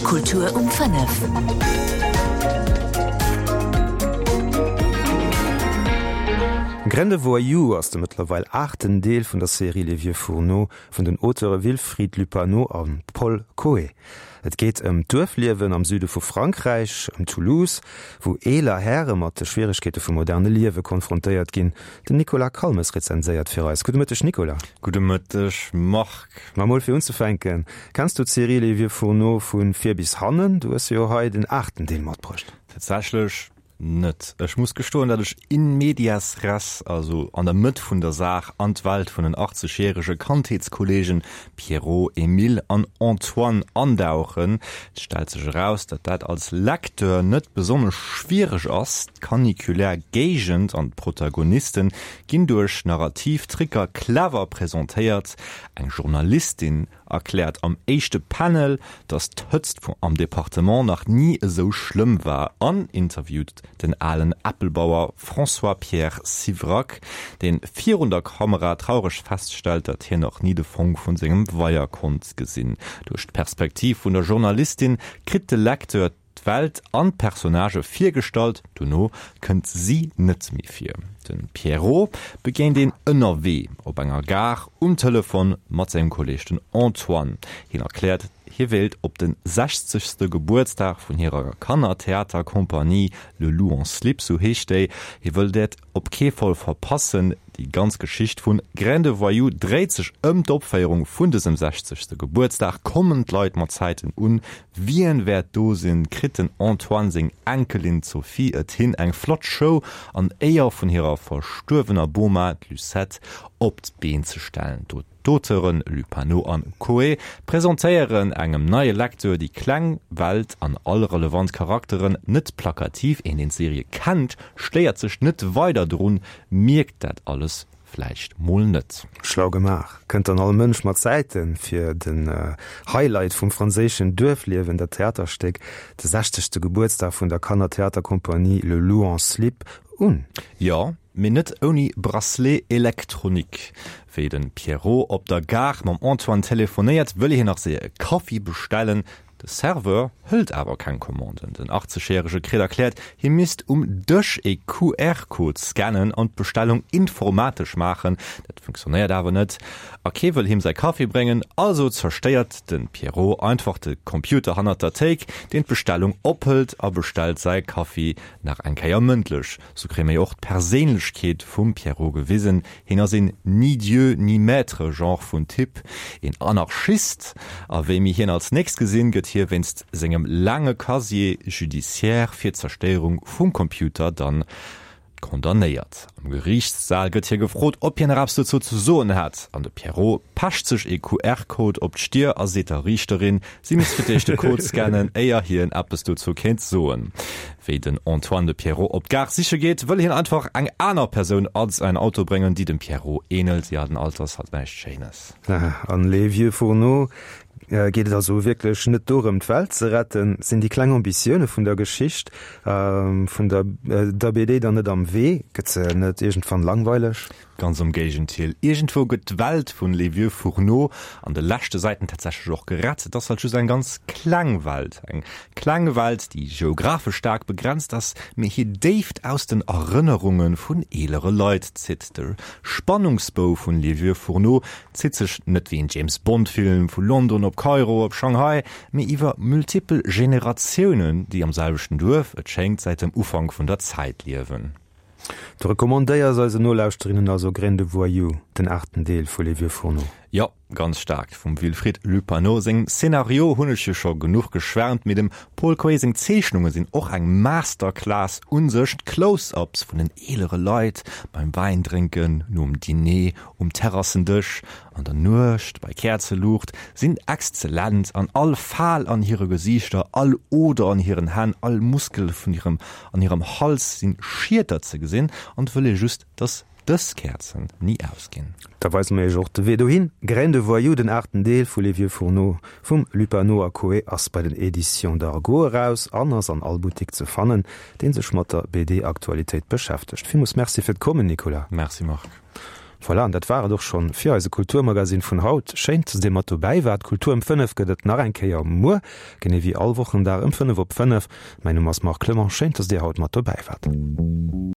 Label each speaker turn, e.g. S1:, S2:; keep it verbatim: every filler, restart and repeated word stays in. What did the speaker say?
S1: Kultur um fënnef.
S2: Graine de voyou ass de mëttlerweil aachten Deel vun der Serie Les Vieux Fourneaux vun den Auteure Wilfried Lupano a Paul Cauuet. Et geet ëm d'Duerfliewen am Süde vu Frankräich, ëm Toulouse, wou eeler Häre mat de Schwieregkeete vum moderne Liewe konfrontéiert ginn. Den Nicolas Calmes rezenséiert fir eis. Gudde Mëtteg Nicolas.
S3: Gudde Mëtteg Marc.
S2: Ma mol fir unzefänken, kenns du d'Serie Les Vieux Fourneaux vu vir bis hannen? Du hues jo hei den aachten Deel matbruecht.
S3: Tatsächlech Net. Ech muss gestoen, datt ech in medias res, also an der Mëtt vun der Saach, an d'Welt vun den achtzegjärege Kandheetskolleegen Pierrot, Emile an Antoine andauchen. Et stellt sech eraus, datt dat als Lecteur net besonnesch schwiereg ass. D'caniculär Géigend an d'Protagonisten ginn duerch narrativ Tricker clever presentéiert. Eng Journalistin erkläert am éischte Panel, datt d'Hëtzt am Departement nach ni esou schlëmm war an interviewt den alen Äppelbauer François-Pierre Sivrac, deen virun der Kamera traureg feststellt, datt hien nach ni de Fong vun sengem Weier konnt gesinn. Duerch d'Perspektiv vun der Journalistin kritt de Lecteur d'Welt an d'Personnagë virgestallt, dono kënnt si net méi vir. De Pierrot begéint een ënnerwee, op enger Gare, um Telefon mat sengem Kolleeg den Antoine. Hien erkläert, hie wéilt op de sechzegste Gebuertsdag vun hirer Kannertheaterkompanie Le Loup en Slip, sou heescht déi, hie wëll dat op kee Fall verpassen. Déi ganz Geschicht vun Graine de voyou dréit sech ëm d'Opféierung vun dësem sechzegste Gebuertsdag. Kommen d'Leit mat Zäiten un? Wien wäert do sinn? Kritt den Antoine seng Enkelin d'Sophie et hin, eng flott Show an Éier vun hirer verstuerwener Boma, d'Lucette, op d'Been ze stellen? D'Auteuren Lupano an Cauuet presentéieren engem neie Lecteur déi kleng Welt an all relevant Charakteren net plakativ. Een deen d'Serie kennt, stéiert sech net weider drun, mierkt dat alles vläicht mol net.
S2: Schlau gemaach. Kënnt dann all Mënsch mat Zäiten fir den Highlight vum franséischen Duerfliewen, dat Theaterstéck, de sechzegste Gebuertsdag vun der Kannertheaterkompanie Le Loup en Slip, un?
S3: Jo, mee net ouni Bracelet électronique. Wéi de Pierrot op der Gare mam Antoine telefonéiert, wëll hien nach séier e Kaffi bestellen. De Serveur hëlt awer keng Commanden. Den achtzegjärege kritt erkläert, hie misst um Dësch e Q R-Code scannen an d'Bestellung informatesch maachen. Dat funktionéiert awer net a kee wëll him säi Kaffi bréngen. Also zerstéiert de Pierrot einfach de Computer hannert der Théik, deen d'Bestellung ophëlt, a bestellt säi Kaffi nach eng Kéier mëndlech. Sou kréie mir jo och d'Perséinlechkeet vum Pierrot gewisen. Hien ass een ni Dieu ni maître Genre vun Typ, een Anarchist. A wéi mir hien als nächst gesinn, gëtt hie wéinst sengem laange Casier judiciaire fir d'Zerstéierung vum Computer dann condamnéiert. Am Geriichtssaal gëtt hie gefrot, ob hien nach eppes dozou ze soen hätt, an de Pierrot pecht sech ee Q R-Code op d'Stier a seet der Riichterin, si misst fir d'éischt de Code scannen, éier hien eppes dozou kéint soen. Wéi den Antoine de Pierrot op d'Gare siche geet, wëll hien einfach eng aner Persoun a säin Auto bréngen, déi dem Pierrot änelt. Jo, den Alter ass halt näischt Schéines.
S2: An Les Vieux Fourneaux geet et also wierklech net dorëm, d'Welt ze retten. Sinn déi kleng Ambitioune vun der Geschicht vun der der B D dann net am Wee? Gëtt se net iergendwann langweileg?
S3: Ganz am Géigendeel, iergendwou gëtt d'Welt vun Les Vieux Fourneaux an de leschte Säiten tatsächlech och gerett. Et ass halt just eng ganz kleng Welt. Eng kleng Welt, déi geographesch staark begrenzt ass, mee hir Déift aus den Erënnerunge vun eelere Leit zitt. De Spannungsbou vun Les Vieux Fourneaux zitt sech net wéi en James Bond Film vu London op Kairo op Shanghai, mee iwwer multipel Generatiounen, déi am selwechten Duerf, et schéngt säit dem Ufank vun der Zäit, liewen.
S2: Du recommandéiers eisen Nolauschterinnen also Graine de voyou, den aachten Deel vu Les Vieux Fourneaux?
S3: Jo, ganz staark. Vum Wilfried Lupano sengem Szenario hunn ech jo scho genuch geschwärmt, mee dem Paul Cauuet seng Zeechnunge sinn och eng Masterclass un sech. D'Close-ups vun den eelere Leit beim Wäindrénken, nom Diner um Terrassendësch, an der Nuecht bei Käerzeluucht sinn exzellent an all Fal an hire Gesiichter, all Oder an hiren Hänn, all Muskel vun hirem an hirem Hals sinn Schieter ze gesinn an et wëll ee just, dass dës Käerzen ni ausginn.
S2: Da weise mer iech och de Wee dohin. Graine de voyou, den aachten Deel vu Les Vieux Fourneaux vum Lupano a Cauuet ass bei den Editions Dargaud eraus an ass an all Buttik ze fannen, dee sech mat der B D-Aktualitéit beschäftegt. Villmools Merci fir d'Kommen, Nicolas.
S3: Merci Marc.
S2: Voilà, an dat war et och schonn fir eise Kulturmagazin vun haut. Schéin, dass Dir mat dobäi waart. Kultur um fënnef gëtt et nach eng Kéier muer, genee wéi all Wochendag ëm fënnef op fënnef. Mäin Numm ass Marc Clement. Schéin, dass Dir haut mat dobäi waart.